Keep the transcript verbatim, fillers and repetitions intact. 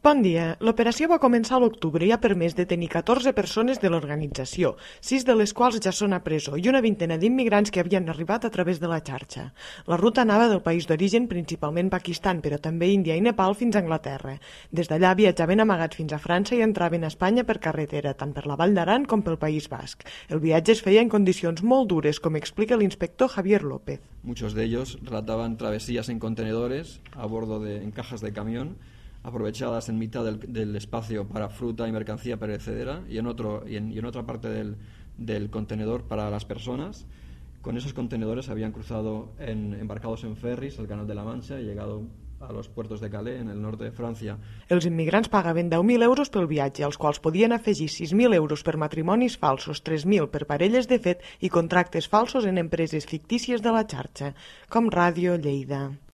Bon dia. L'operació va començar a l'octubre i ha permès detenir catorze persones de l'organització, sis de les quals ja són a presó, i una vintena d'immigrants que havien arribat a través de la xarxa. La ruta anava del país d'origen, principalment Pakistan, però també Índia i Nepal fins a Anglaterra. Des d'allà viatjaven amagats fins a França i entraven a Espanya per carretera, tant per la Vall d'Aran com pel País Basc. El viatge es feia en condicions molt dures, com explica l'inspector Javier López. Muchos de ellos relataban travesías en contenedores, a bordo de en cajas de camión, aprovechadas en mitad del, del espacio para fruta y mercancía perecedera y en, otro, y en, y en otra parte del, del contenedor para las personas. Con esos contenedores habían cruzado en, embarcados en ferris el Canal de la Mancha y llegado a los puertos de Calais, en el norte de Francia. Els immigrants pagaven deu mil euros pel viatge, als quals podien afegir sis mil euros per matrimonis falsos, tres mil per parelles de fet i contractes falsos en empreses fictícies de la xarxa, com Ràdio Lleida.